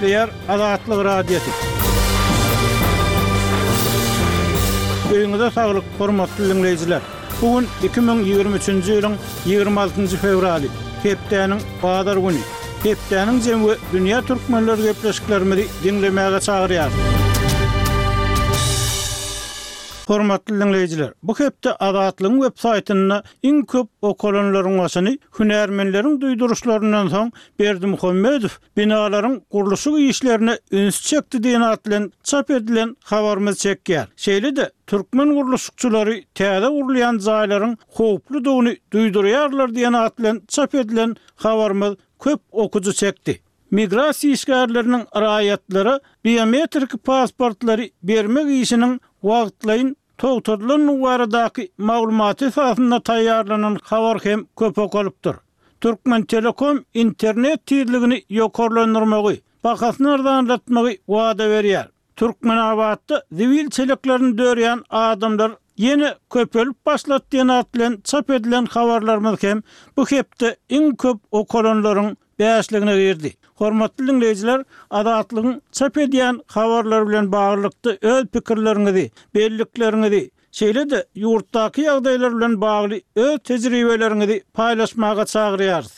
Gepleýär Azatlyk Radiosy. Öýüňize saglyk, hormatly diňleýjiler! Bu gün 2023-nji ýylyň 26-njy fewraly, hepdäniň bazar güni. Hepdäniň jemi we dünýä türkmenleri gepleşiklerimizi diňlemäge çagyrýarys. Hormatly diňleýjiler, bu hepde Azatlygyň web saýtynda iň köp okalanlaryň başyny hünärmenleriň duýduryşlaryndan soň Berdimuhamedow binalaryň gurluşyk işlerine üns çekdi diýen at bilen çap edilen habarymyz çekýär. Şeýle-de, türkmen gurluşykçylary täze gurulýan jaýlaryň howpludygyny duýdurýarlar diýen at bilen çap edilen habarymyz köp okyjy çekdi. Migrasiýa işgärleriniň raýatlara biometrik pasportlary bermek işiniň wagtlaýyn togtadylandygy baradaky maglumat esasynda taýýarlanan habar hem köp okalypdyr. Türkmentelekom internet tizligini ýokarlandyrmagy, bahasyny arzanlatmagy wada berýär. Türkmenabatda zibil çeleklerini dörýän adamlar ýene köpelip başlady diýen at bilen çap edilen habarlarymyz hem bu hepde iň köp okalanlaryň bäşligine girdi. Hormatly diňleýjiler, Azatlygyň çap edýän habarlary bilen baglylykda öz pikirleriňizi, bellikleriňizi, Şeýle-de, ýurtdaky ýagdaýlar bilen bagly öz tejribeleriňizi paýlaşmaga çagyrýarys.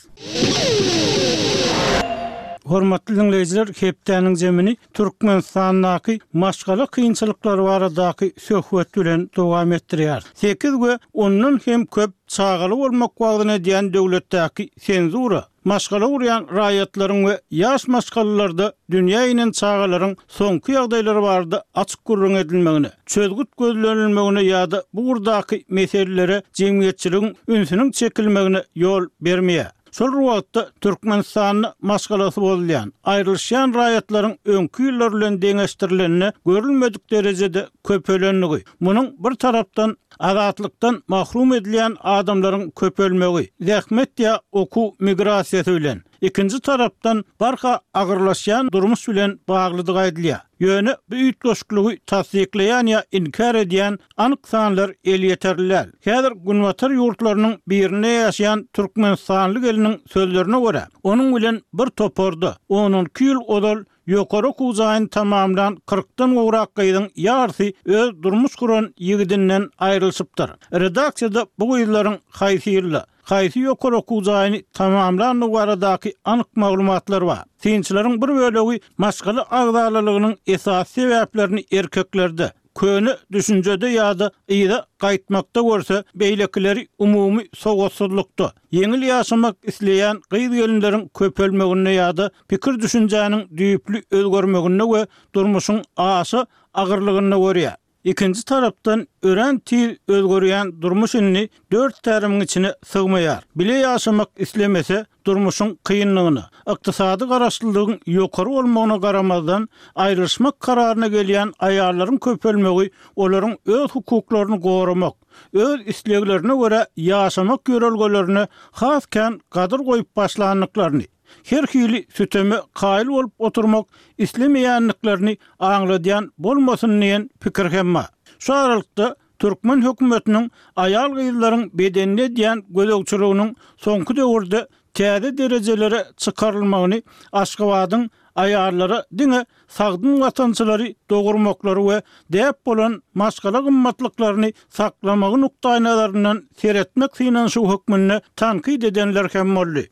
Hormatly diňleýjiler, hepdäniň jemini Türkmenistandaky maşgala kynçylyklary baradaky söhbet bilen dowam etdirýäris. Sekiz we ondan hem köp çagaly bolmak wagzyny edýän döwletdäki senzura, Maşgala gurýan raýatlaryň we ýaş maşgalalarda dünýä inen çagalaryň soňky ýagdaýlary barada açyk gürrüň edilmegine, çözgüt gözlenilmegine ýa-da bu ugurdaky meselelere jemgyýetçiligiň ünsüniň çekilmegine ýol bermeýär. Şol bir wagtda, Türkmenistanda maşgalasy bozulýan, aýrylyşýan raýatlaryň öňki ýyllar bilen deňeşdirilende görülmedik derejede köpelendigi, munuň bir tarapdan, Azatlykdan mahrum edilýän adamlaryň köpelmegi, zähmet ýa okuw migrasiýasy bilen, ikinji tarapdan, barha agyrlaşýan durmuş bilen baglydygy aýdylýar. Ýöne bu üýtgeşikligi tassyklaýan ýa inkär edýän anyk sanlar elýeterli däl. Häzir günbatar ýurtlarynyň birinde ýaşaýan türkmenistanly gelniň sözlerine görä, onuň bilen bir toparda on-onki ýyl ozal Ýokary okuw jaýyny tamamlan kyrkdan gowrak gyzyň ýarysy öz durmuş guran ýigidinden aýrylyşypdyr. Redaksiýada bu gyzlaryň haýsy ýylda, haýsy ýokary okuw jaýyny tamamlandygy baradaky anyk maglumatlar bar. Synçylaryň bir bölegi maşgala agzalalygynyň esasy sebäplerini erkeklerde, köne düşünjede ýa-da yza gaýtmakda görse, beýlekileri umumy sowatsyzlykda, ýeňil ýaşamak isleýän gyz-gelinleriň köpelmeginde ýa-da pikir-düşünjäniň düýpli özgermeginde we durmuşyň aşa agyrlygynda görýär. Ikinji tarapdan, örän tiz özgerýän durmuş indi dört tärimiň içine sygmaýar. Bile ýaşamak islemese, durmuşyň kynlygyna, ykdysady garaşlylygyň ýokary bolmagyna garamazdan, aýrylyşmak kararyna gelýän aýallaryň köpelmegi olaryň öz hukuklaryny goramak, öz isleglerine görä ýaşamak ýörelgelerine has kän gadyr goýup başlandyklaryny, her hili süteme kaýyl bolup oturmak islemeýändiklerini aňladýan bolmasyn diýen pikir hem bar. Şu aralykda, Türkmen hökümetiniň aýal-gyzlaryň bedenine edýän gözegçiliginiň soňky döwürde täze derejelere çykarylmagyny Aşgabadyň aýallara diňe sagdyn watançylary dogurmaklary we däp bolan maşgala gymmatlyklaryny saklamagy nukdaýnazaryndan seretmek synanyşygy hökmünde tankyt edenler hem boldy.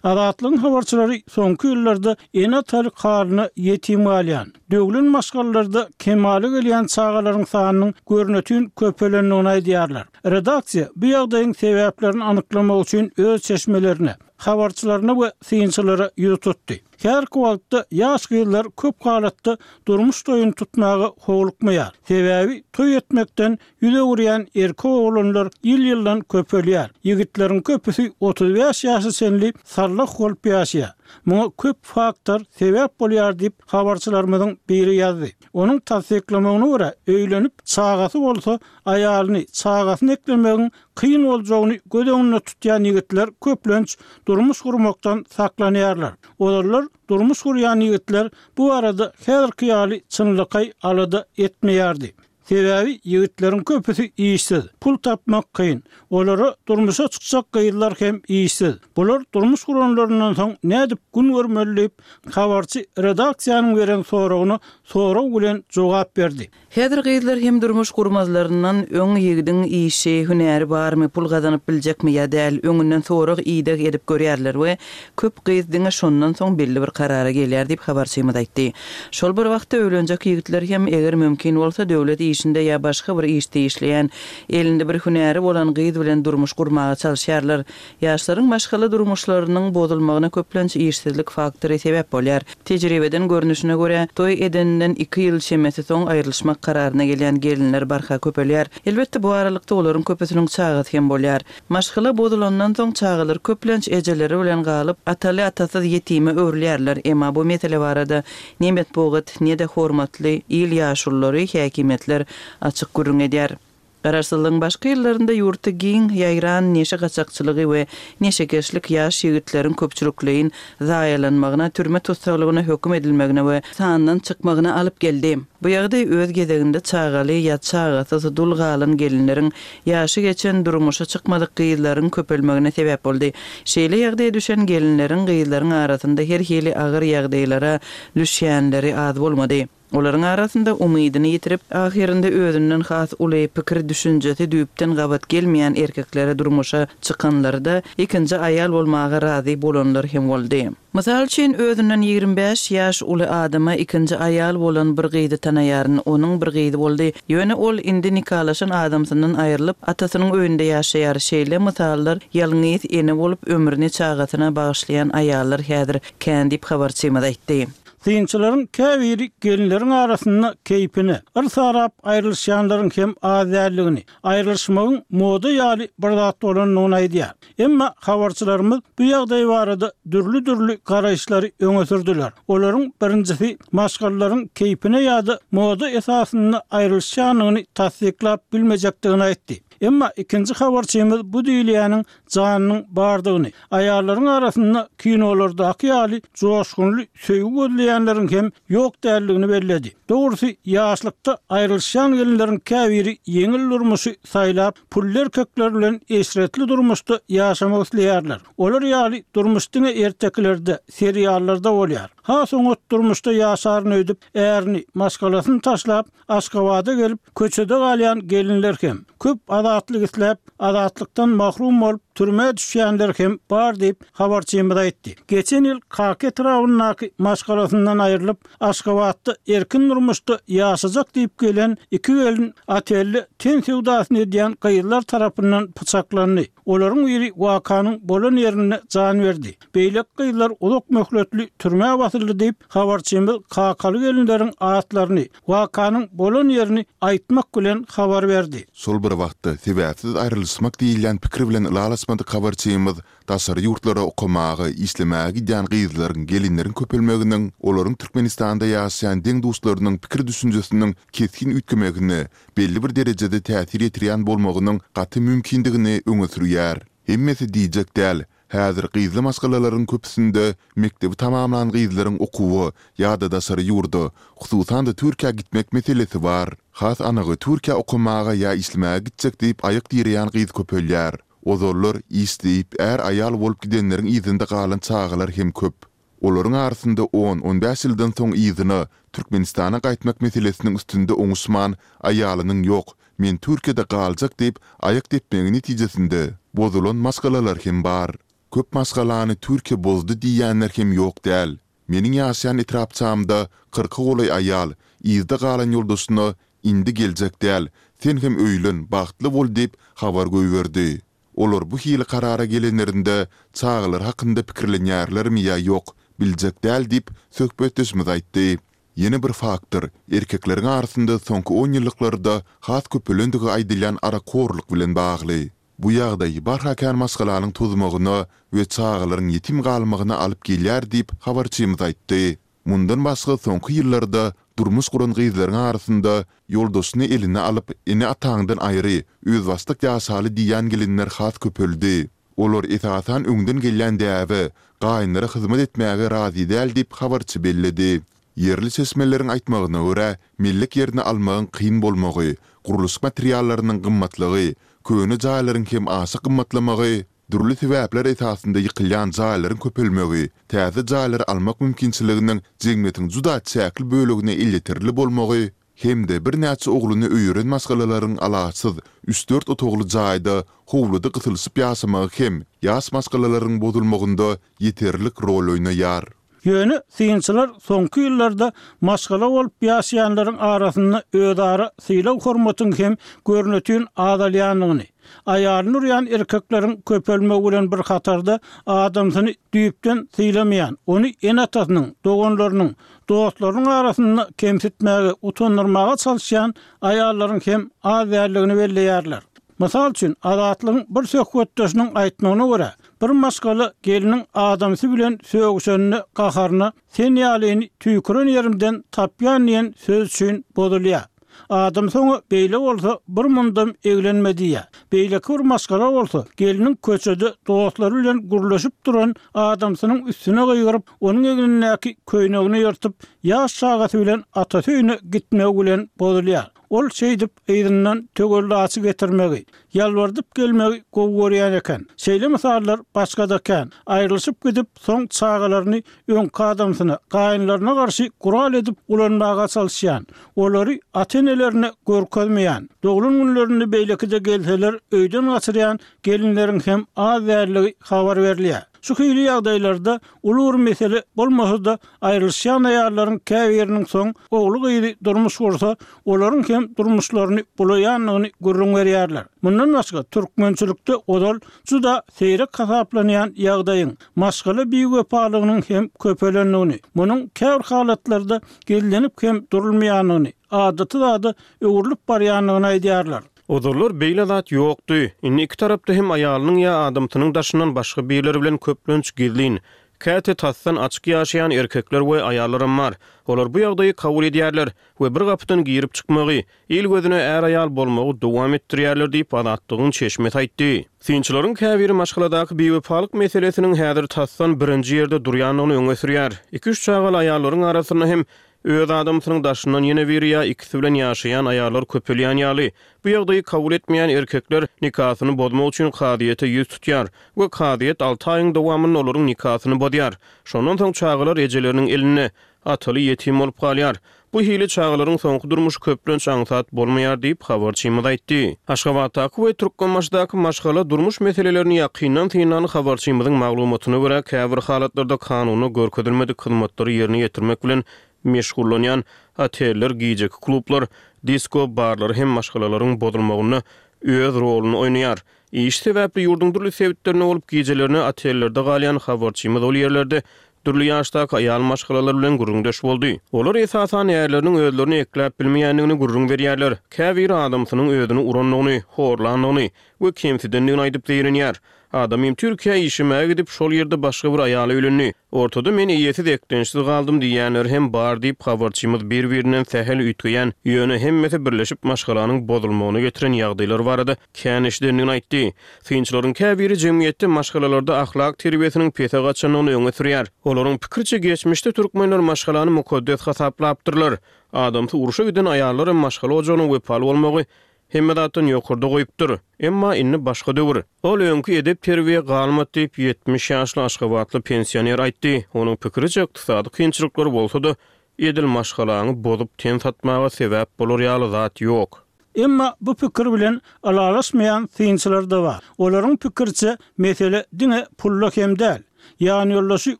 Azatlygyň habarçylary soňky ýyllarda ene-atalyk halyna ýetim galýan, döwlen maşgalalarda kemala gelýän çagalaryň sanynyň görnetin köpelendigini aýdýarlar. Redaksiýa bu ýagdaýyň sebäplerini anyklamak üçin öz çeşmelerine, habarçylaryna we synçylara ýüz tutdy. Häzirki wagtda ýaş gyzlar köp halatda durmuş toýuny tutmaga howlukmaýar. Sebäbi toý etmekden Ýüz öwürýän erkek oglanlar ýyl-ýyldan köpelýär. Ýigitleriň köpüsi 35 ýaşa çenli sallah bolup ýaşaýar. Muňa köp faktor sebäp bolýar diýip, habarçylarymyzyň biri ýazdy. Onuň tassyklamagyna görä, öýlenip, çagasy bolsa, aýalyny, çagasyny eklemegiň kyn boljagyny göz öňünde tutýan ýigitler köplenç durmuş gurmakdan saklanýarlar. Ozallar durmuş gurýan ýigitler bu barada häzirki ýaly çynlakaý alada etmeýärdi. Sebäbi ýigitleriň köpüsi işsiz, pul tapmak kyn. Olara durmuşa çykjak gyzlar hem işsiz. Bular durmuş guranlaryndan soň nädip gün görmeli diýip, habarçy redaksiýanyň beren soragyna sorag bilen jogap berdi. Häzir gyzlar hem durmuş gurmazlaryndan öň ýigidiň işi, hünäri barmy, pul gazanyp biljekmi ýa däl, öňünden sorag-ideg edip görýärler we köp gyz diňe şondan soň belli bir karara gelýär diýip, habarçymyz aýtdy. Şol bir wagtda öýlenjek ýigitler hem, eger mümkin bolsa, döwlet işinde ýa başga bir işde işleýän, elinde bir hünäri bolan gyz bilen durmuş gurmaga çalyşýarlar. Ýaşlaryň maşgala durmuşlarynyň bozulmagyna köplenç işsizlik faktory sebäp bolýar. Tejribeden görnüşine görä, toý edeninden iki ýyl çemesi soň aýrylyşmak kararyna gelýän gelinler barha köpelýär. Elbetde, bu aralykda olaryň köpüsiniň çagasy hem bolýar. Maşgala bozulandan soň çagalar köplenç ejeleri bilen galyp, ataly-atasyz ýetime öwrülýärler. Emma bu mesele barada ne metbugat, ne-de hormatly il ýaşululary, häkimiýetler açyk gürrüň edýär. Garaşsyzlygyň başky ýyllarynda ýurtda giň ýaýran neşe gaçakçylygy we neşekeşlik ýaş ýigitleriň köpçülikleýin zaýalanmagyna, türme tussaglygyna höküm edilmegine we sandan çykmagyna alyp geldi. Bu ýagdaý öz gezeginde çagaly ýa çagasyz dul galan gelinleriň, ýaşy geçen, durmuşa çykmadyk gyzlaryň köpelmegine sebäp boldy. Şeýle ýagdaýa düşen gelinleriň, gyzlaryň arasynda her hili agyr ýagdaýlara düşýänleri az bolmady. Olaryň arasynda umydyny ýitirip, ahyrynda özünden has uly, pikir-düşünjesi düýpden gabat gelmeýän erkeklere durmuşa çykanlary-da, ikinji aýal bolmaga razy bolanlar hem boldy. Mysal üçin, özünden 25 ýaş uly adama ikinji aýal bolan bir gyzy tanaýaryn. Onuň bir gyzy boldy. Ýöne ol indi nikalaşan adamsyndan aýrylyp, atasynyň öýünde ýaşaýar. Şeýle mysallar ýalňyz ene bolup, ömrüni çagasyna bagyşlaýan aýallar häzir kän diýip, habarçymyz aýtdy. Synçylaryň käbiri gelinleriň arasynda keýpine, yrs arap aýrylyşýanlaryň hem az däldigini, aýrylyşmagyň moda ýaly bir zat bolandygyny aýdýar. Emma habarçylarymyz bu ýagdaý barada dürli-dürli garaýyşlary öňe sürdüler. Olaryň birinjisi maşgalalaryň keýpine ýa-da moda esasynda aýrylyşýandygyny tassyklap bilmejekdigini aýtdy. Emma ikinji habarçymyz bu diýilýäniň janynyň bardygyny, aýallaryň arasynda kinolardaky ýaly joşgunly söýgi gözleýänleriň hem ýok däldigini belledi. Dogrusy, ýaşlykda aýrylyşýan gelinleriň käbiri ýeňil durmuşy saýlap, pully erkekler bilen eşretli durmuşda ýaşamak isleýärler. Olar ýaly durmuş diňe ertekilerde, seriallarda bolýar. Has oňat durmuşda ýaşaryn öýdüp, ärini, maşgalasyny taşlap, Aşgabada gelip, köçede galýan gelinler hem, köp azatlyk isläp, azatlykdan mahrum bolup, türmä düşýänler hem bar diýip, habarçymyz aýtdy. Geçen ýyl Kaka etrabyndaky maşgalasyndan aýrylyp, Aşgabatda erkin durmuşda ýaşajak diýip gelen iki gelin otelde ten söwdasyny edýän gyzlar tarapyndan pyçaklandy. Olaryň biri wakanyň bolan ýerinde jan berdi. Beýleki gyzlar uzak möhletli türmä basyldy diýip, habarçymyz kakaly gelinleriň atlaryny, wakanyň bolan ýerini aýtmak bilen habar berdi. Şol bir wagtda, sebäpsiz aýrylyşmak diýilýän pikir bilen ylalaşmadyk habarçymyz daşary ýurtlara okamaga, işlemäge gidýän gyzlaryň, gelinleriň köpelmeginiň olaryň Türkmenistanda ýaşaýan deň-duşlarynyň pikir-düşünjesiniň kesgin üýtgemegine belli bir derejede täsir ýetirýän bolmagynyň gaty mümkindigini öňe sürýär. Hemmesi diýjek däl, Häzir gyzly maşgalalaryň köpüsinde mekdebi tamamlan gyzlaryň okuwa ýa-da daşary ýurda, hususan-da Türkiýä gitmek meselesi bar. Has anygy Türkiýä okamaga ýa işlemäge gitjek diýip aýak direýän gyz köpelýär. Ozallar iş diýip är-aýal bolup gidenleriň yzynda galan çagalar hem köp. Olaryň arasynda on, on bäş ýyldan soň yzyna, Türkmenistana gaýtmak meselesiniň üstünde oňuşman, aýalynyň ýok, men Türkiýede galjak diýip aýak depmegi netijesinde bozulan maşgalalar hem bar. Köp maşgalany Türkiýe bozdy diýýänler hem ýok däl. Meniň ýaşaýan etrapçamda kyrka golaý aýal, yzda galan ýoldaşyna indi geljek däl, sen hem öýlen, bagtly bol diýip habar goýberdi. Olar bu hili karara gelenlerinde çagalary hakynda pikirlenýärlermi ýa ýok, biljek däl diýip, söhbetdeşimiz aýtdy. Ýene bir faktor, erkekleriň arasynda soňky onýyllyklarda has köpelendigi aýdylýan arakhorluk bilen bagly. Bu ýagdaý barha kän maşgalanyň tozmagyna we çagalaryň ýetim galmagyna alyp gelýär diýip, habarçymyz aýtdy. Mundan başga soňky ýyllarda durmuş guran gyzlaryň arasynda ýoldaşyny eline alyp, ene-ataňdan aýry, özbaşdak ýaşaly diýýän gelinler has köpeldi. Olar esasan öňden gelýän däbe, gaýynlara hyzmat etmäge razy däl diýip, habarçy belledi. Ýerli çeşmeleriň aýtmagyna görä, mellek ýerini almagyň kyn bolmagy, gurluşyk materiallarynyň gymmatlygy, köne jaýlaryň hem aşa gymmatlamagy, dürli sebäpler esasynda ýykylýan jaýlaryň köpelmegi, täze jaýlary almak mümkinçiliginiň jemgyýetiň juda çäkli bölegine elýeterli bolmagy hem-de birnäçe ogluny öýeren maşgalalaryň alaçsyz üç-dört otagly jaýda howluda gysylyşyp ýaşamagy hem ýaş maşgalalaryň bozulmagynda ýeterlik rol oýnaýar. Ýöne synçylar soňky ýyllarda maşgala bolup ýaşaýanlaryň arasynda özara sylag-hormatyň hem görnetin azalýandygyny, aýalyny urýan erkekleriň köpelmegi bilen bir hatarda adamsyny düýpden sylamaýan, ony ene-atasynyň, doganlarynyň, dostlarynyň arasynda kemsitmäge, utandyrmaga çalyşýan aýallaryň hem az däldigini belleýärler. Mysal üçin, Azatlygyň bir söhbetdeşiniň aýtmagyna görä, bir maşgala gelniň adamsy bilen sögüşende gaharyna sen ýalyny tüýküren ýerimden tapýan diýen söz üçin bozulýar. Adamsy oňa beýle bolsa bir mundam eglenme diýýär. Beýleki bir maşgala bolsa gelniň köçede dostlary bilen gürleşip duran adamsynyň üstüne gygyryp, onuň egnindäki köýnegini ýyrtyp, ýaş çagasy bilen atasy öýüne gitmegi bilen bozulýar. Ol şeýdip yzyndan töwellaçy getirmegi, ýalbardyp gelmegi gowy görýän eken. Şeýle mysallar başga-da kän. Aýrylyşyp gidip, soň çagalaryny öňki adamsyna, gaýynlaryna garşy gural edip ulanmaga çalyşýan, olary ata-enelerine görkezmeýän, doglan günlerinde beýleki-de gelseler öýden gaçyrýan gelinleriň hem az däldigi habar berilýär. Şu hili ýagdaýlarda uly bir mesele bolmasa-da, aýrylyşýan aýallaryň käbiriniň soň ogly-gyzy durmuş gursa, olaryň hem durmuşlaryny bulaýandygyny gürrüň berýärler. Mundan başga, türkmençilikde ozal juda seýrek hasaplanýan ýagdaýyň, maşgala biwepalygynyň hem köpelendigini, munuň käbir halatlarda gizlenip hem durulmaýandygyny, adaty zada öwrülip barýandygyny aýdýarlar. Ozallar beýle zat ýokdy. Indi iki tarapda hem aýalynyň ýa adamsynyň daşyndan başga birleri bilen köplenç gizlin, käte tasdan açyk ýaşaýan erkekler we aýallaram bar. Olar bu ýagdaýy kabul edýärler we bir gapydan girip-çykmagy, il gözüne är-aýal bolmagy dowam etdirýärler diýip, Azatlygyň çeşmesi aýtdy. Synçylaryň käbiri maşgaladaky biwepalyk meselesiniň häzir tasdan birinji ýerde durýandygyny öňe sürýär. Iki-üç çagaly aýallaryň arasynda hem Öz adamsynyň daşyndan ýene biri ýa ikisi bilen ýaşaýan aýallar köpelýän ýaly, bu ýagdaýy kabul etmeýän erkekler nikasyny bozmak üçin kazyýete ýüz tutýar we kazyýet alty aýyň dowamynda olaryň nikasyny bozýar. Şondan soň çagalar ejeleriniň elinde, ataly ýetim bolup galýar. Bu hili çagalaryň soňky durmuşy köplenç aňsat bolmaýar diýip, habarçymyz aýtdy. Aşgabatdaky we Türkmenbaşydaky maşgala durmuş meselelerini ýakyndan synlan habarçymyzyň maglumatyna görä, käbir halatlarda kanunda görkezilmedik hyzmatlary ýerine ýetirmek bilen meşgullanýan oteller, gijeki klublar, disko barlary hem maşgalalaryň bozulmagynda öz roluny oýnaýar. Iş sebäpli ýurduň dürli sebitlerinde bolup, gijelerine otellerde galýan habarçymyz ol ýerlerde Dürli ýaşdaky aýal maşgalalar bilen gürrüňdeş boldy. Olar esasan ärleriniň özlerini ekläp bilmeýändigini gürrüň berýärler. Käbiri adamsynyň özüni urandygyny, horlandygyny we kemsidendigini aýdyp zeýrenýär. Adamym Türkiýä işlemäge gidip, şol ýerde başga bir aýala öýlendi. Ortada men eýesiz, eklençsiz galdym diýýänleri hem bar diýip, habarçymyz bir-birinden sähel üýtgeýän, ýöne hemmesi birleşip maşgalanyň bozulmagyna getiren ýagdaýlar barada kän eşidendigini aýtdy. Synçylaryň käbiri jemgyýetde maşgalalarda ahlak terbiýesiniň pese gaçandygyny öňe sürýär. Olaryň pikiriçe, geçmişde türkmenler maşgalany mukaddes hasaplapdyrlar. Adamsy urşa giden aýallaram maşgala ojagyna wepaly bolmagy hemme zatdan ýokarda goýupdyr. Emma indi başga döwür. Ol öňki edep-terbiýe galmady diýip, 70 ýaşly aşgabatly pensioner aýtdy. Onuň pikiriçe, ykdysady kynçylyklar bolsa-da, edil maşgalaňy bozup ten satmaga sebäp bolar ýaly zat ýok. Emma bu pikir bilen ylalaşmaýan synçylar-da bar. Olaryň pikiriçe, mesele diňe pulda hem däl. Ýanýoldaşy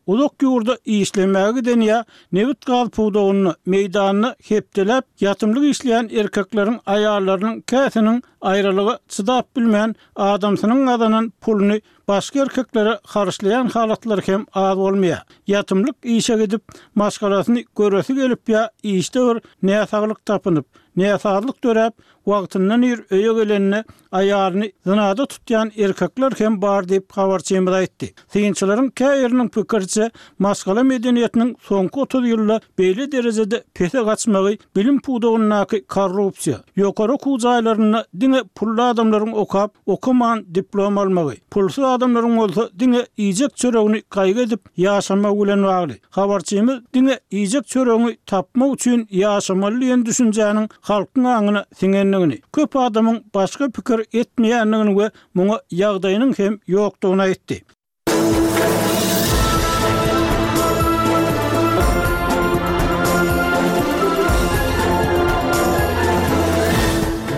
uzak ýurda işlemäge giden ýa nebit-gaz pudagynda, meýdanda hepdeläp ýatymlyk işleýän erkekleriň aýallarynyň käsiniň aýralyga çydap bilmän, adamsynyň gazanan puluny başga erkeklere harçlaýan halatlary hem az bolmaýar. Ýatymlyk işe gidip, maşgalasyny göresi gelip ýa işde bir näsaglyk tapynyp, Näsazlyk döräp, wagtyndan ir öýe gelende aýalyny zynada tutýan erkekler hem bar diýip, habarçymyz aýtdy. Synçylaryň käbiriniň pikiriçe, maşgala medeniýetiniň soňky 30 ýylda beýle derejede pese gaçmagy bilim pudagyndaky korrupsiýa, ýokary okuw jaýlarynda diňe pully adamlaryň okap, okaman diplom almagy, pulsuz adamlaryň bolsa diňe iýjek çöregini gaýgy edip ýaşamagy bilen bagly. Habarçymyz diňe iýjek çöregiňi tapmak üçin ýaşamaly diýen düşünjäniň halkyň aňyna siňendigini, köp adamyň başga pikir etmeýändigini we muňa ýagdaýynyň hem ýokdugyny aýtdy.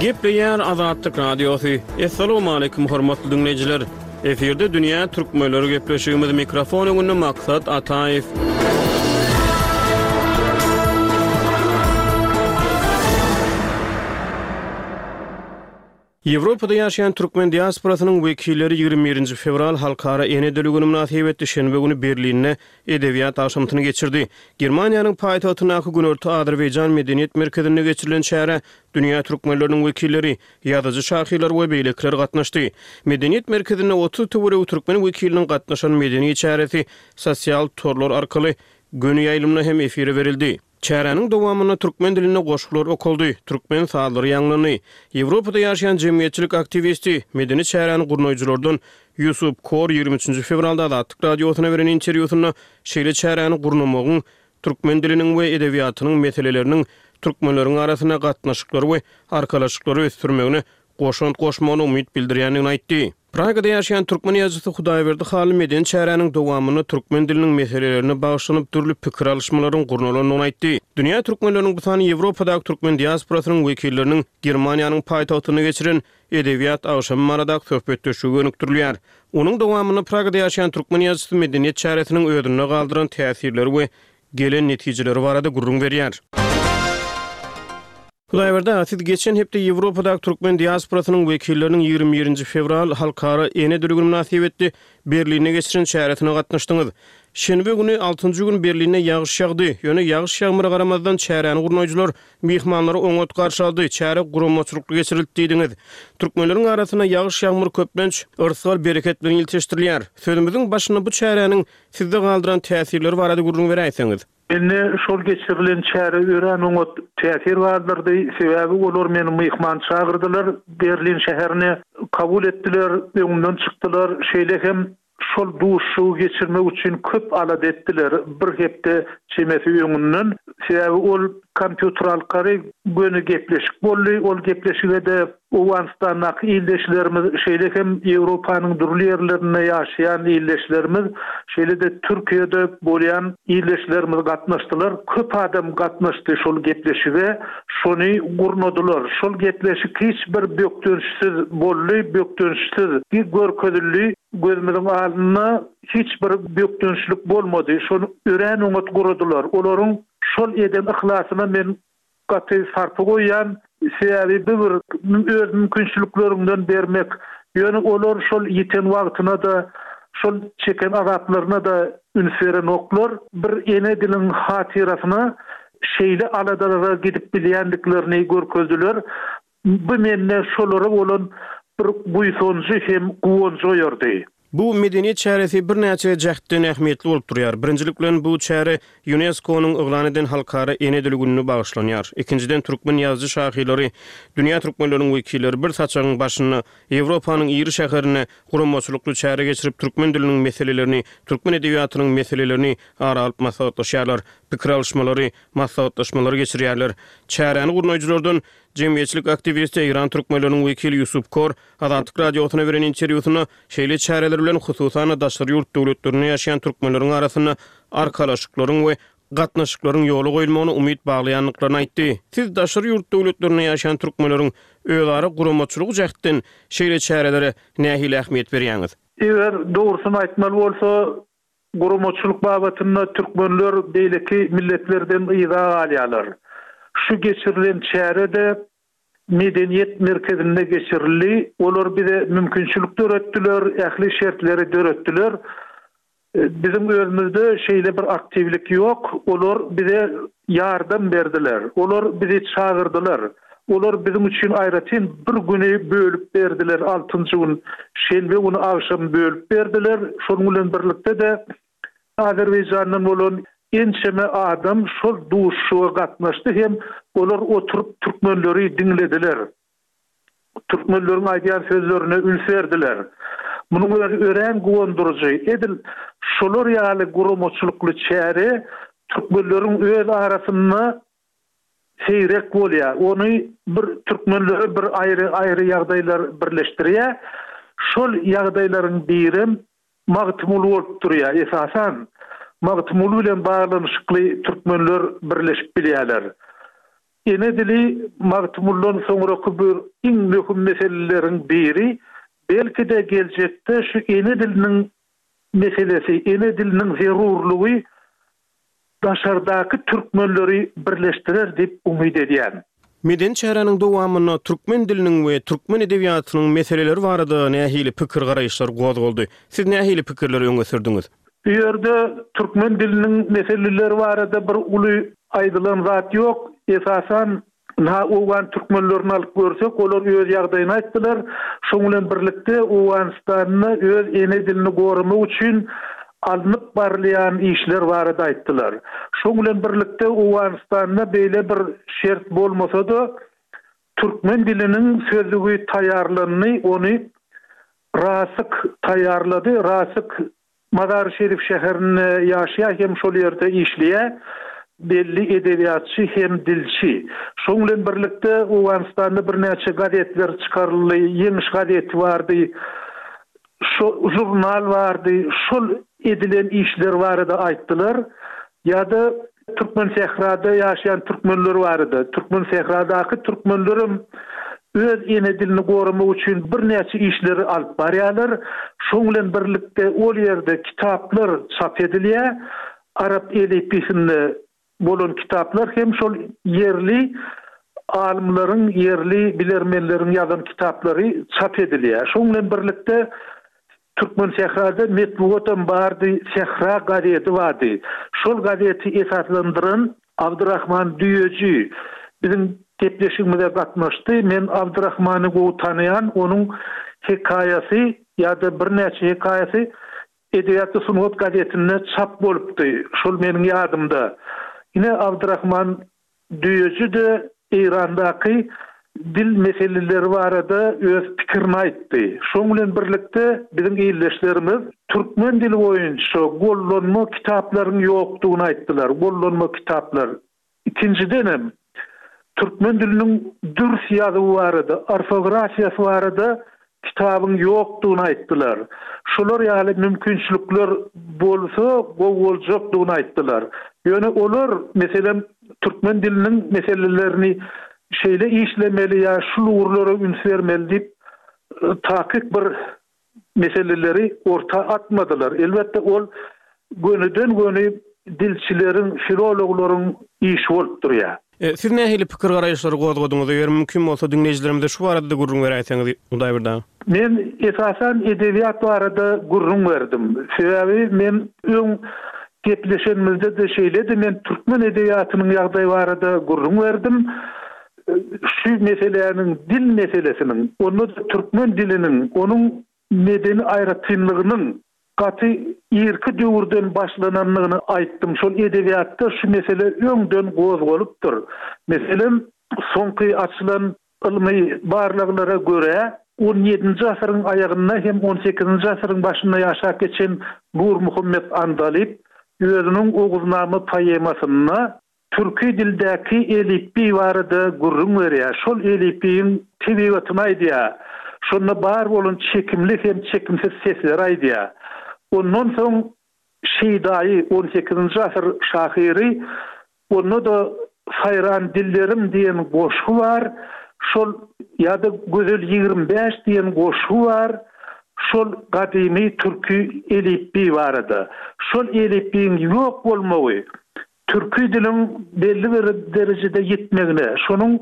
Gepleýär Azatlyk Radiosy. Assalamualaikum hormatly diňleýjiler. Efirde dünýä türkmenleri gepleşigimiz mikrofon öňünde Maksat Ataýew. Ýewropada ýaşaýan türkmen diasporasynyň wekilleri 21-nji fewral Halkara ene dili güni mynasybetli şenbe güni Berlinde edebiýat agşamsyny geçirdi. Germaniýanyň paýtagtyndaky Günorta Azerbaýjan medeniýet merkezinde geçirilen çärä dünýä türkmenleriniň wekilleri, ýazyjy-şahyrlar we beýlekiler gatnaşdy. Medeniýet merkezinde 30 töweregi türkmen wekiliniň gatnaşan medeni çäresi sosial torlar arkaly göni ýaýlymda hem efire berildi. Çäräniň dowamynda türkmen dilinde goşgular okaldy, türkmen sazlary ýaňlandy. Ýewropada ýaşaýan jemgyýetçilik aktiwisti, medeni çäräni gurnaýjylardan Ýusup Kor 23 nji fewralda Azatlyk Radiosyna beren interwýusynda şeýle çäräni gurnamagyň türkmen diliniň we edebiýatynyň meseleleriniň türkmenleriň arasynda gatnaşyklary we arkalaşyklary ösdürmegine goşant goşmagyna umyt bildirýändigini aýtdy. Pragada ýaşaýan türkmen ýazyjysy Hudaýberdi Hally medeni çäräniň dowamynda türkmen diliniň meselelerine bagyşlanyp dürli pikir alyşmalaryň gurnalandygyny aýtdy. Dünýä türkmenleriniň bu sany Ýewropadaky türkmen diasporasynyň wekilleriniň Germaniýanyň paýtagtynda geçiren Edebiýat agşamy baradaky söhbetdeşlige gönükdirilýär. Onuň dowamynda Pragada ýaşaýan türkmen ýazyjysy medeniýet çäresiniň özünde galdyran täsirleri we gelen netijeleri barada gürrüň berýär. Hudaýberdi aga, siz geçen hepde Ýewropadaky türkmen diasporasynyň wekilleriniň 21-nji fewral Halkara ene dili güni mynasybetli Berlinde geçiren çäresine gatnaşdyňyz. Şenbe güni, altynjy gün Berlinde ýagyş ýagdy. Ýöne ýagyş-ýagmyra garamazdan çäräni gurnaýjylar myhmanlary oňat garşy aldy, çäre guramaçylykly geçirildi diýdiňiz. Türkmenleriň arasynda ýagyş-ýagmyr köplenç yrsgal-bereket bilen ilteşdirilýär. Sözümiziň başynda bu çäräniň sizde galdyran täsirleri barada gürrüň beräýseňiz. Mende şol geçirilen çäre örän oňat täsir galdyrdy. Sebäbi olar meni myhman çagyrdylar Berlin şäherine. Kabul etdiler, öňümden çykdylar. Şeýle hem şol duşuşygy geçirmek üçin köp alada etdiler, bir hepde çemesi öňünden. Sebäbi ol kompýuter arkaly göni gepleşik boldy. Ol gepleşige-de Owganystandaky ildeşlerimiz, şeýle hem Ýewropanyň dürli ýerlerinde ýaşaýan ildeşlerimiz, şeýle-de Türkiýede bolýan ildeşlerimiz gatnaşdylar. Köp adam gatnaşdy şol gepleşige, şony gurnadylar. Şol gepleşik hiç bir bökdençsiz boldy, bökdençsiz görkezildi. Gözümiziň alnynda hiç bir bökdençlik bolmady. Şony örän oňat guradylar. Olaryň şol eden yhlasyna men Gaty sarpa goýýan, sebäbi bu bir öz mümkinçilikleriňden bermek. Ýöne olar şol ýiten wagtyna-da, şol çeken azaplaryna-da üns berenoklar. Bir ene diliň hatyrasyna şeýle aladalara gidip bilýändiklerini görkezdiler. Bu mende şolara bolan bir buýsanjy hem guwanjy oýardy. Bu medeniýet çäresi birnäçe jähtden ähmiýetli bolup durýar. Birinjilik bilen, bu çäre Ýunesko-nyň yglan eden Halkara ene dili gününe bagyşlanýar. Ikinjiden, türkmen ýazyjy-şahyrlary, dünýä türkmenleriniň wekilleri bir saçagyň başynda, Ýewropanyň iri şäherinde guramaçylykly çäre geçirip, türkmen diliniň meselelerini, türkmen edebiýatynyň meselelerini ara alyp maslahatlaşýarlar, pikir alyşmalary, maslahatlaşmalary geçirýärler. Çäräni gurnaýjylardan jemgyýetçilik aktiwisti, eýran türkmenleriniň wekili Ýusup Kor Azatlyk Radiosyna beren interwýusynda şeýle çäreler bilen hususan-da daşary ýurt döwletlerinde ýaşaýan türkmenleriň arasynda arkalaşyklaryň we gatnaşyklaryň ýola goýulmagyna umyt baglaýandyklaryny aýtdy. Siz daşary ýurt döwletlerinde ýaşaýan türkmenleriň özara guramaçylygy jähtden şeýle çärelere nähili ähmiýet berýäňiz? Eger dogrusyny aýtmaly bolsa, guramaçylyk babatynda türkmenler beýleki milletlerden yza galýarlar. Şu geçirilen çäre-de Medeniýet merkezinde geçirildi. Olar bize mümkinçilik döretdiler, ähli şertleri döretdiler. Biziň özümizde şeýle bir aktiwlik ýok. Olar bize ýardam berdiler. Olar bizi çagyrdylar. Olar biziň üçin aýratyn bir güni bölüp berdiler, altynjy gün, şenbe güni agşam bölüp berdiler. Şonuň bilen birlikde-de Azerbaýjandan bolan ençeme adam şol duşuşyga gatnaşdy hem olar oturyp türkmenleri diňlediler. Türkmenleriň aýdýan sözlerine üns berdiler. Munuň özi örän guwandyryjy. Edil şolar ýaly guramaçylykly çäre türkmenleriň öz arasynda seýrek bolýar. Ony bir türkmenleri bir aýry-aýry ýagdaýlar birleşdirýär. Şol ýagdaýlaryň birem Magtymguly bolup durýar. Esasan, Magtymguly bilen baglanyşykly türkmenler birleşip bilýärler. Ene dili Magtymgulydan soňraky bir iň möhüm meseleleriň biri, belki-de geljekde şu ene diliniň meselesi, ene diliniň zerurlygy daşardaky türkmenleri birleşdirer diýip umyt edýän. Medeni çäräniň dowamynda türkmen diliniň we türkmen edebiýatynyň meseleleri barada nähili pikir-garaýyşlar gozgaldy? Siz nähili pikirleri öňe sürdüňiz? Bu ýerde türkmen diliniň meseleleri barada bir uly aýdylan zat ýok. Esasan, ynha, owgan türkmenlerini alyp görsek, olar öz ýagdaýyny aýtdylar. Şoň bilen birlikde, Owganystanda öz ene dilini goramak üçin alnyp barylýan işler barada aýtdylar. Şoň bilen birlikde, Owganystanda beýle bir şert bolmasa-da, türkmen diliniň sözlügi taýýarlandy, ony Rasyk taýýarlady. Rasyk Mazary-Şerif şäherinde ýaşaýar hem şol ýerde işleýär. Belli edebiýatçy hem dilçi. Şoň bilen birlikde Owganystanda birnäçe gazetler çykaryldy. Ýeňiş gazeti bardy. Şo žurnal bardy. Şol edilen işler barada aýtdylar. Ýa-da Türkmensährada ýaşaýan türkmenler barada. Türkmensähradaky türkmenlerem öz ene dilini goramak üçin birnäçe işleri alyp barýarlar. Şoň bilen birlikde ol ýerde kitaplar çap edilýär. Arap elipbiýsinde bolan kitaplar hem şol ýerli alymlaryň, ýerli bilermenleriň ýazan kitaplary çap edilýär. Şoň bilen birlikde Türkmensährada metbugatam bardy, Sähra gazeti bardy. Şol gazeti esaslandyran Abdyrahman Düýeji biziň gepleşigimize gatnaşdy. Men Abdyrahmany gowy tanaýan, onuň hekaýasy ýa-da birnäçe hekaýasy Edebiýat we sungat gazetinde çap bolupdy. Şol meniň ýadymda. Ine, Abdyrahman Düýeji-de Eýrandaky dil meseleleri barada öz pikirini aýtdy. Şoň bilen birlikde biziň ildeşlerimiz türkmen dili boýunça gollanma kitaplaryň ýokdugyny aýtdylar. Gollanma kitaplar. Ikinjidenem, türkmen diliniň dürs ýazuwy barada, orfografiýasy barada kitabyň ýokdugyny aýtdylar. Şular ýaly mümkinçilikler bolsa gowy boljakdygyny aýtdylar. Ýöne olar, meselem, türkmen diliniň meselelerini şeýle işlemeli ýa şul ugurlara üns bermeli diýip, takyk bir meseleleri orta atmadylar. Elbetde, ol gönüden-göni dilçileriň, filologlaryň işi bolup durýar. Siz nähili pikir-garaýyşlary gozgadyňyz? Eger mümkin bolsa, diňleýjilerimize şu barada-da gürrüň beräýseňiz, Hudaýberdi aga. Men, esasan, edebiýat barada gürrüň berdim. Sebäbi men öň gepleşenimizde-de şeýledi, men türkmen edebiýatynyň ýagdaýy barada gürrüň berdim. Şu meseläniň, dil meselesiniň, onda-da türkmen diliniň, onuň medeni aýratynlygynyň gaty irki döwürden başlanandygyny aýtdym. Şol edebiýatda şu mesele öňden gozgalypdyr. Meselem, soňky açylan ylmy barlaglara görä, on ýedinji asyryň aýagynda hem on sekizinji asyryň başynda ýaşap geçen Nurmuhammet Andalyp özüniň Oguznama poemasynda Türki dildäki elipbiý barada gürrüň berýär. Şol elipbiýiň tebigatyny aýdýar. Şonda bar bolan çekimli hem çekimsiz sesleri aýdýar. Ondan soň Şeýdaýy, on sekizinji asyr şahyry, onda-da Saýran dillerim diýen goşgy bar. Şol ýa-da Gözel 25 diýen goşgy bar. Şol gadymy türki elipbiý barada. Şol elipbiýiň ýok bolmagy Türki diliň belli bir derejede ýitmegine, şonuň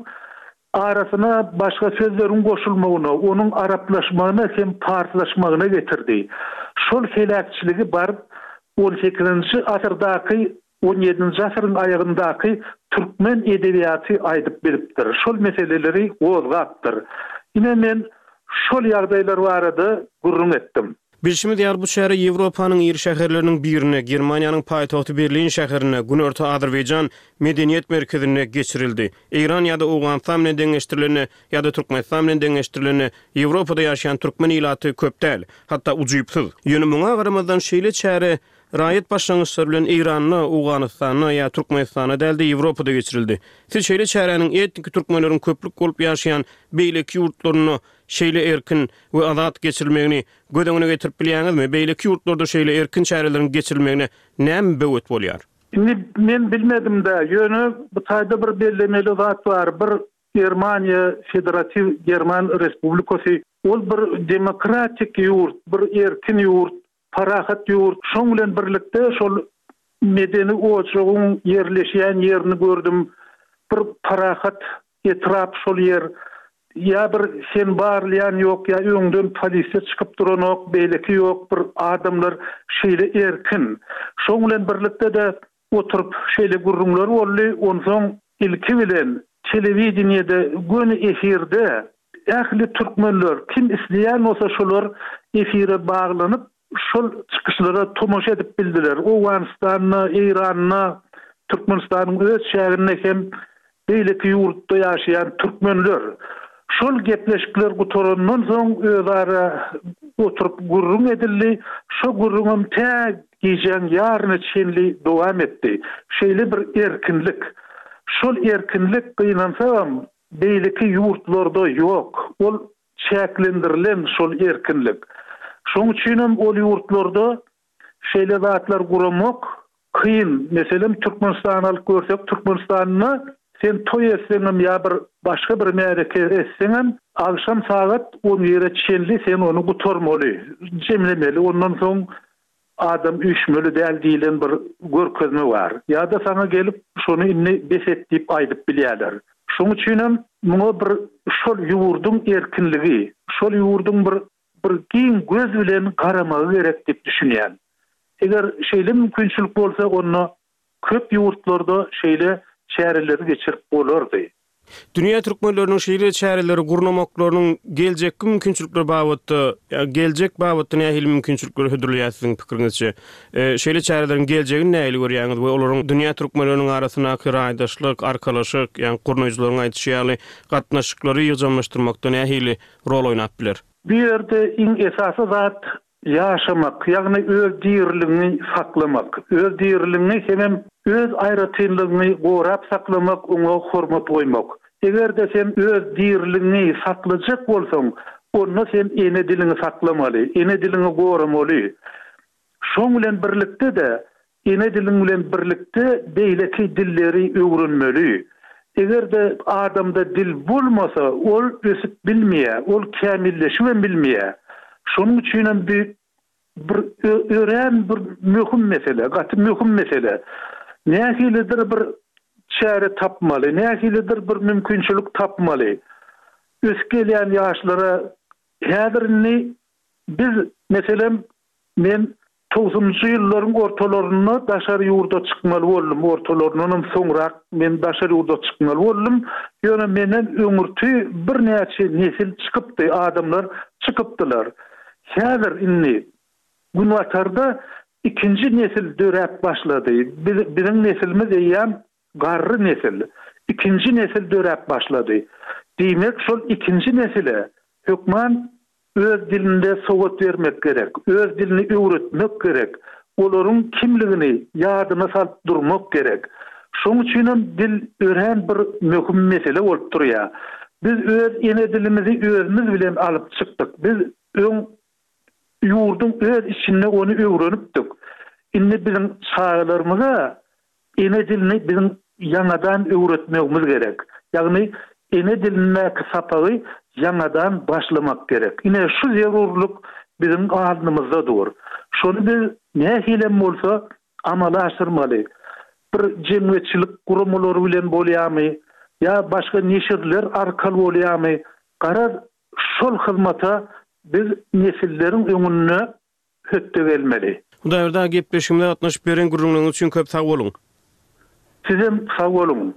arasyna başga sözleriň goşulmagyna, onuň araplaşmagyna hem parslaşmagyna getirdi. Şol heläkçiligi baryp on sekizinji asyrdaky. On ýedinji asyryň aýagyndaky türkmen edebiýaty aýdyp bilipdir, şol meseleleri gozgapdyr. Ine men şol ýagdaýlar barada gürrüň etdim. Bilşimiz ýaly, bu çäre Ýewropanyň iri şäherleriniň birinde, Germaniýanyň paýtagty Berlin şäherinde, Günorta Azerbaýjan medeniýet merkezinde geçirildi. Eýran ýa-da Owganystan bilen deňeşdirilende, ýa-da Türkmenistan bilen deňeşdirilende, Ýewropada ýaşaýan türkmen ilaty köp däl, hatda ujypsyz. Ýöne muňa garamazdan şeýle çäre Raýat başlangyçlary bilen Eýranda, Owganystanda ýa Türkmenistanda däl-de Ýewropada geçirildi. Siz şeýle çäräniň etniki türkmenleriň köplük bolup ýaşaýan beýleki ýurtlarynda şeýle erkin we azat geçirilmegini göz öňüne getirip bilýäňizmi? Beýleki ýurtlarda şeýle erkin çäreleriň geçirilmegine näme böwet bolýar? Indi men bilmedim-dä, ýöne bu taýda bir bellemeli zat bar, bir Germaniýa, Federatiw German Respublikasy, ol bir demokratik ýurt, bir erkin ýurt, Parahat ýurt. Şoň bilen birlikde şol medeni ojagyň ýerleşýän ýerini gördüm. Bir parahat etrap şol ýer. Ýa bir sen barylýan ýok, ýa öňden polisiýa çykyp duranok, beýleki ýok, bir adamlar şeýle erkin. Şoň bilen birlikde-de oturyp şeýle gürrüňler boldy. Onsoň ilki bilen telewideniýede göni efirde ähli türkmenler kim isleýän bolsa şolar efire baglanyp şol çykyşlara tomaşa edip bildiler. Owganystanda, Eýranda, Türkmenistanyň öz çäginde hem beýleki ýurtda ýaşaýan türkmenler şol gepleşikler gutarandan soň özara oturyp gürrüň edildi. Şo gürrüňem tä gijäň ýaryna çenli dowam etdi. Şeýle bir erkinlik. Şol erkinlik gynansagam beýleki ýurtlarda ýok. Ol çäklendirilen şol erkinlik. Şoň üçinem ol ýurtlarda şeýle zatlar guramak kyn. Meselem, Türkmenistany alyp görsek, Türkmenistanda sen toý etseňem ýa bir başga bir märeke etseňem, agşam sagat on bire çenli sen ony gutarmaly, jemlemeli. Ondan soň adam üýşmeli däl diýlen bir görkezme bar. Ýa-da saňa gelip şony indi bes et diýip aýdyp bilýärler. Şoň üçinem muňa bir şol ýurduň erkinligi, şol ýurduň bir bir giň göz bilen garamagy gerek diýip düşünýän. Eger şeýle mümkinçilik bolsa onda köp ýurtlarda şeýle çäreleri geçirip bolardy. Dünýä türkmenleriniň şeýle çäreleri gurnamaklarynyň geljekki mümkinçilikleri babatda, ýa geljek babatda nähili mümkinçilikleri hödürleýär siziň pikiriňizçe? Şeýle çäreleriň geljegini nähili görýäňiz we olaryň dünýä türkmenleriniň arasyndaky raýdaşlyk, arkalaşyk, ýa gurnaýjylaryň aýdyşy ýaly gatnaşyklary ýygjamlaşdyrmakda nähili rol oýnap biler? Bu ýerde iň esasy zat ýaşamak, ýagny öz diriligiňi saklamak, öz diriligiňi hemem öz aýratynlygyňy gorap saklamak, oňa hormat goýmak. Eger-de sen öz diriligiňi saklajak bolsaň, onda sen ene diliňi saklamaly, ene diliňi goramaly. Şoň bilen birlikde-de, ene diliň bilen birlikde beýleki dilleri öwrenmeli. Eger-de adamda dil bolmasa, ol ösüp bilmeýär, ol kämilleşibem bilmeýär. Şonuň üçinem bu bir örän bir möhüm mesele, gaty möhüm mesele. Nähilidir bir çäre tapmaly, nähilidir bir mümkinçilik tapmaly. Ösüp gelýän ýaşlara häzir indi biz, meselem, Men togsanynjy ýyllaryň ortalarynda daşary ýurda çykmaly boldum, ortalaryndanam soňrak men daşary ýurda çykmaly boldum. Ýöne menden öňürti birnäçe nesil çykypdy, adamlar çykypdylar. Häzir indi Günbatarda ikinji nesil döräp başlady. Biz, biziň nesilimiz eýýäm garry nesil. Ikinji nesil döräp başlady. Diýmek, şol ikinji nesile hökman Öz dilinde sowat bermek gerek, öz dilini öwretmek gerek, olaryň kimligini ýadyna salyp durmak gerek. Şoň üçinem dil örän bir möhüm mesele bolup durýar. Biz öz ene dilimizi özümiz bilen alyp çykdyk. Biz öň ýurduň öz içinde ony öwrenipdik. Indi biziň çagalarymyza Ene dilini biziň ýaňadan öwretmegimiz gerek. Ýagny ene dilindäki sapagy ýaňadan başlamak gerek. Ine şu zerurlyk biziň alnymyzda dur. Şony biz nähilem bolsa amala aşyrmaly. Bir jemgyýetçilik guramalary bilen bolýarmy ýa başga neşirler arkaly bolýarmy, garaz şol hyzmata biz nesilleriň öňünde hötde gelmeli. Hudaýberdi aga gepleşigimize gatnaşyp beren gürrüňleriňiz üçin köp sag boluň. Sizem sag boluň.